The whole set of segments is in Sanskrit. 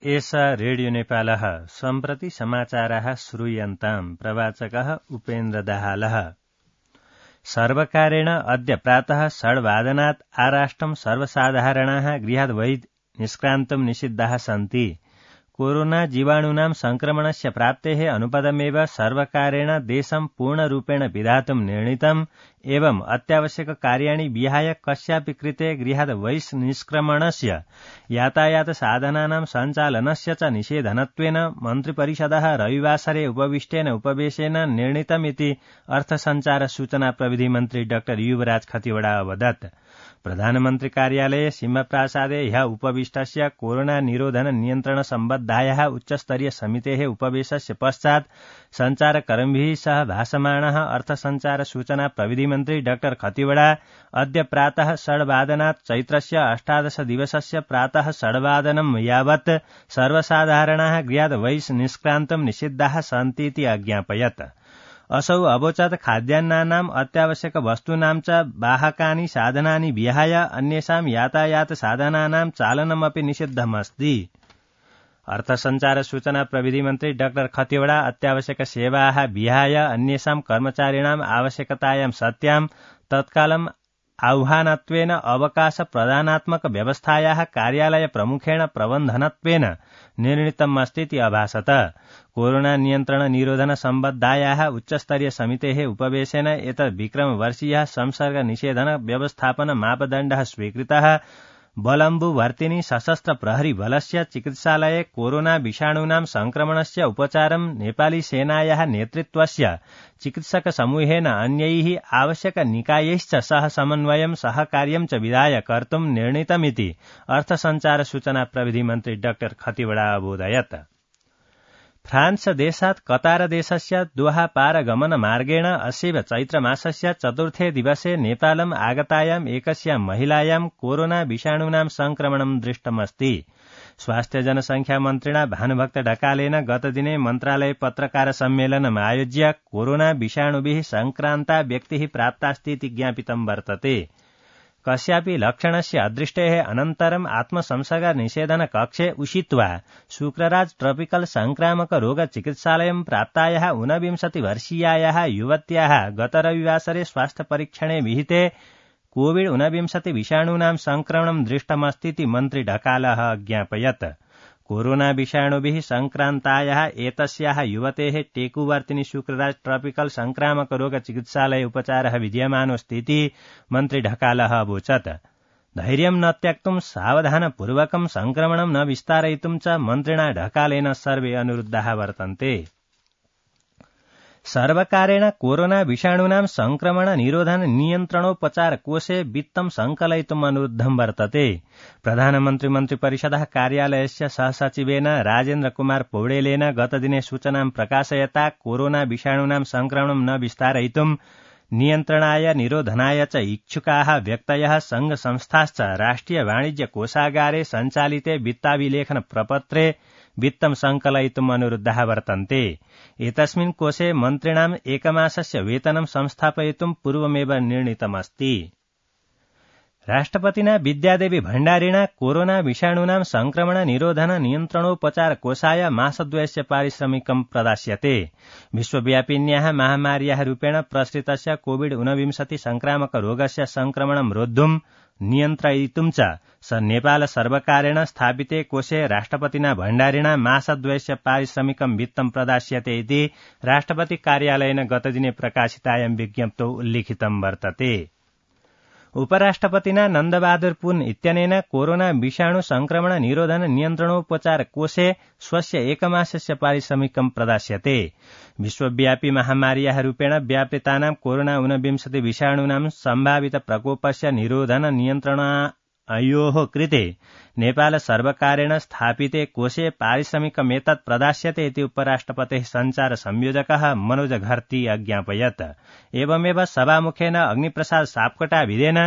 एष रेडियो नेपालः सम्प्रति समाचाराः श्रूयन्ताम्। प्रवाचकः उपेन्द्र दाहालः। सर्वकारेण अद्य प्रातः 6:00 आराष्ट्रं सर्वसाधारणाः गृहात् बहिः निष्क्रान्तुं निषिद्धाः सन्ति। कोरोना जीवाणूनां संक्रमणस्य प्राप्तेः अनुपदमेव सर्वकारेण देशं पूर्णरूपेण पिधातुं निर्णीतम् एवं अत्यावश्यक कार्याणि विहाय कस्यापि कृते गृहात् बहिष्निष्क्रमणस्य यातायात साधनानां सञ्चालनस्य च निषेधनत्वेन मन्त्रिपरिषदः रविवासरे उपविष्टेन उपवेशेन निर्णीतमिति अर्थसञ्चार सूचना प्रविधि मन्त्री डाक्टर युवराज खतिवड़ा अवदत्। प्रधानमन्त्री कार्यालये सिंहप्रासादे ह्यः उपविष्टस्य कोरोना निरोधन नियन्त्रण सम्बद्धायाः उच्चस्तरीय समितेः उपवेशस्य पश्चात् सञ्चारकर्मिभिः सह भाषमाणः अर्थसञ्चार सूचना प्रविधि मन्त्री डाक्टर खतिवड़ा अद्य प्रातः 6:00 चैत्रस्य 18 दिवसस्य प्रातः 6:00 यावत् सर्वसाधारणाः गृहात् बहिष्निष्क्रान्तुं निषिद्धाः सन्तीति अज्ञापयत्। असौ अवोचत् खाद्यान्नानाम् अत्यावश्यक वस्तूनां च वाहकानि साधनानि विहाय अन्येषां यातायात साधनानां चालनमपि निषिद्धमस्ति। अर्थसञ्चार सूचना प्रविधि मन्त्री डाक्टर खतिवड़ा अत्यावश्यक सेवाः विहाय अन्येषां कर्मचारिणाम् आवश्यकतायां सत्यां तत्कालम् आह्वानत्वेन अवकाश प्रदानात्मक व्यवस्थायाः कार्यालय प्रमुखेण प्रबन्धनत्वेन निर्णीतमस्तीति अभासत। कोरोना नियन्त्रण निरोधन सम्बद्धायाः उच्चस्तरीय समितेः उपवेशेन एतत् विक्रमवर्षीयः संसर्ग निषेधन व्यवस्थापन मापदण्डः स्वीकृतः। बलम्बुवर्तिनी सशस्त्र प्रहरी बलस्य चिकित्सालये कोरोना विषाणूनां संक्रमणस्य उपचारं नेपाली सेनायाः नेतृत्वस्य चिकित्सक समूहेन अन्यैः आवश्यक निकायैश्च सह समन्वयं सहकार्यं च विधाय कर्तुं निर्णीतमिति अर्थसञ्चार सूचना प्रविधि मन्त्री डाक्टर खतिवड़ा अबोधयत्। फ्रान्स देशात् कतार देशस्य दोहा पारगमन मार्गेण अस्यैव चैत्रमासस्य 4थे दिवसे नेपालम् आगतायाम् एकस्यां महिलायां कोरोना विषाणूनां संक्रमणं दृष्टमस्ति। स्वास्थ्य जनसंख्या मन्त्रिणा भानुभक्त ढकालेन गतदिने मन्त्रालय पत्रकार सम्मेलनम् आयोज्य कोरोना विषाणुभिः संक्रान्ता व्यक्तिः प्राप्तास्तीति ज्ञापितं वर्तते। कस्यापि लक्षणस्य अदृष्टेः अनन्तरम् आत्मसंसर्ग निषेधन कक्षे उषित्वा शुक्रराज ट्रॉपिकल संक्रामक रोग चिकित्सालयं प्राप्तायाः 29 वर्षीयायाः युवत्याः गत रविवासरे स्वास्थ्य परीक्षणे विहिते कोविड-19 विषाणूनां संक्रमणं दृष्टमस्तीति मन्त्री ढकालः ज्ञापयत्। कोरोना विषाणुभिः संक्रान्तायाः एतस्याः युवतेः टेकुवर्तिनी शुक्रराज ट्रॉपिकल संक्रामक रोग चिकित्सालये उपचारः विद्यमानोऽस्तीति मन्त्री ढकालः अवोचत्। धैर्यं न त्यक्तुं सावधानपूर्वकं संक्रमणं न विस्तारयितुं च मन्त्रिणा ढकालेन सर्वे अनुरुद्धाः वर्तन्ते। सर्वकारेण कोरोना विषाणूनां संक्रमण निरोधन नियन्त्रणोपचार कोषे वित्तं संकलयितुम् अनुरुद्धं वर्तते। प्रधानमन्त्री मन्त्रिपरिषदः कार्यालयस्य सहसचिवेन राजेन्द्र कुमार पौडेलेन गतदिने सूचनां प्रकाशयता कोरोना विषाणूनां संक्रमणं न विस्तारयितुं नियन्त्रणाय निरोधनाय च इच्छुकाः व्यक्तयः संघ संस्थाश्च राष्ट्रिय वाणिज्य कोषागारे सञ्चालिते वित्ताभिलेखन प्रपत्रे वित्तं संकलयितुम् अनुरुद्धाः वर्तन्ते। एतस्मिन् कोषे मन्त्रिणाम् एकमासस्य वेतनं संस्थापयितुं पूर्वमेव निर्णीतमस्ति। राष्ट्रपतिना विद्यादेवी भण्डारिणा कोरोना विषाणूनां संक्रमण निरोधन नियन्त्रणोपचार कोषाय मासद्वयस्य पारिश्रमिकं प्रदास्यते। विश्वव्यापिन्याः महामार्याः रूपेण प्रसृतस्य कोविड-19 संक्रामक रोगस्य संक्रमणं रोद्धुं नियन्त्रयितुं च नेपाल सर्वकारेण स्थापिते कोषे राष्ट्रपतिना भण्डारिणा मासद्वयस्य पारिश्रमिकं वित्तं प्रदास्यते इति राष्ट्रपति कार्यालयेन गतदिने प्रकाशितायां विज्ञप्तौ उल्लिखितं वर्तते। उपराष्ट्रपतिना नन्दबहादुर पुन इत्यनेन कोरोना विषाणु संक्रमण निरोधन नियन्त्रणोपचार कोषे स्वस्य एकमासस्य पारिश्रमिकं प्रदास्यते। विश्वव्यापी महामार्याः रूपेण व्यापृतानां कोरोना-19 विषाणूनां सम्भावित प्रकोपस्य निरोधन नियन्त्रणायोः कृते नेपाल सर्वकारेण स्थापिते कोषे पारिश्रमिकमेतत् प्रदास्यते इति उपराष्ट्रपतेः सञ्चार संयोजकः मनोज घर्ती अज्ञापयत्। एवमेव सभामुखेन अग्निप्रसाद सापकोटाभिधेन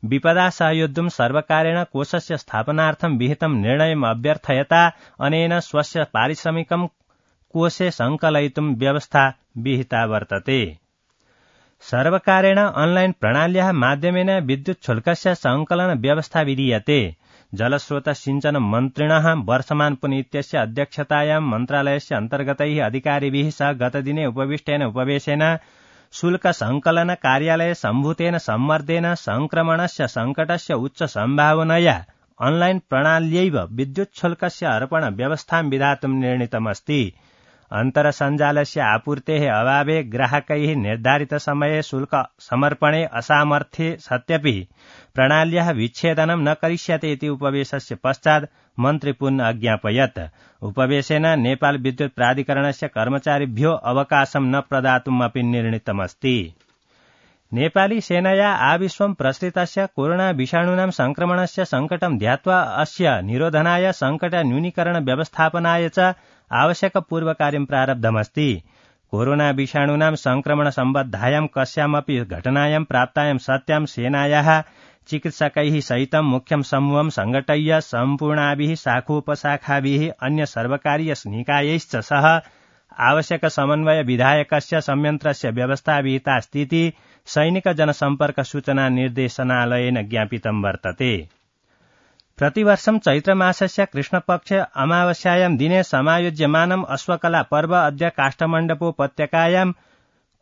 विपदा सहयोद्धुं सर्वकारेण कोषस्य स्थापनार्थं विहितं निर्णयम् अभ्यर्थयता अनेन स्वस्य पारिश्रमिकं कोषे संकलयितुं व्यवस्था विहिता वर्तते। सर्वकारेण ऑनलाइन प्रणाल्याः माध्यमेन विद्युत शुल्कस्य संकलन व्यवस्था विधीयते। जलस्रोत सिंचन मन्त्रिणः वर्षमान पुनीत्यस्य अध्यक्षतायां मन्त्रालयस्य अन्तर्गतैः अधिकारिभिः सह गतदिने उपविष्टेन उपवेशेन शुल्क संकलन कार्यालय सम्भूतेन सम्मर्देन संक्रमणस्य संकटस्य उच्च सम्भावनया ऑनलाइन प्रणाल्यैव विद्युच्छुल्कस्य अर्पण व्यवस्थां विधातुं निर्णीतमस्ति। अन्तरसञ्जालस्य आपूर्तेः अभावे ग्राहकैः निर्धारित समये शुल्क समर्पणे असामर्थ्ये सत्यपि प्रणाल्याः विच्छेदनं न करिष्यते इति उपवेशस्य पश्चात् मन्त्री पुनः अज्ञापयत्। उपवेशेन नेपाल विद्युत प्राधिकरणस्य कर्मचारिभ्यो अवकाशं न प्रदातुम् अपि निर्णीतमस्ति। नेपाली सेनया आविश्वं प्रसृतस्य कोरोना विषाणूनां संक्रमणस्य संकटं ध्यात्वा अस्य निरोधनाय संकट न्यूनीकरण व्यवस्थापनाय च आवश्यक पूर्वकार्यं प्रारब्धमस्ति। कोरोना विषाणूनां संक्रमण सम्बद्धायां कस्यामपि घटनायां प्राप्तायां सत्यां सेनायाः चिकित्सकैः सहितं मुख्यं समूहं संघटय्य सम्पूर्णाभिः शाखोपशाखाभिः अन्य सर्वकारीय निकायैश्च सह आवश्यक समन्वय विधायकस्य संयन्त्रस्य व्यवस्थाविहिता स्थिति सैनिक जनसम्पर्क सूचना निर्देशनालयेन ज्ञापितं वर्तते। प्रतिवर्षं चैत्रमासस्य कृष्णपक्ष अमावास्यायां दिने समायोज्यमानम् अश्वकला पर्व अद्य काष्ठमण्डपोपत्यकायां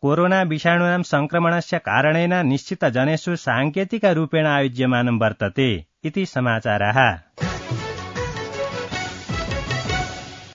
कोरोना विषाणूनां संक्रमणस्य कारणेन निश्चितजनेषु साङ्केतिकरूपेण आयोज्यमानं वर्तते इति समाचारः।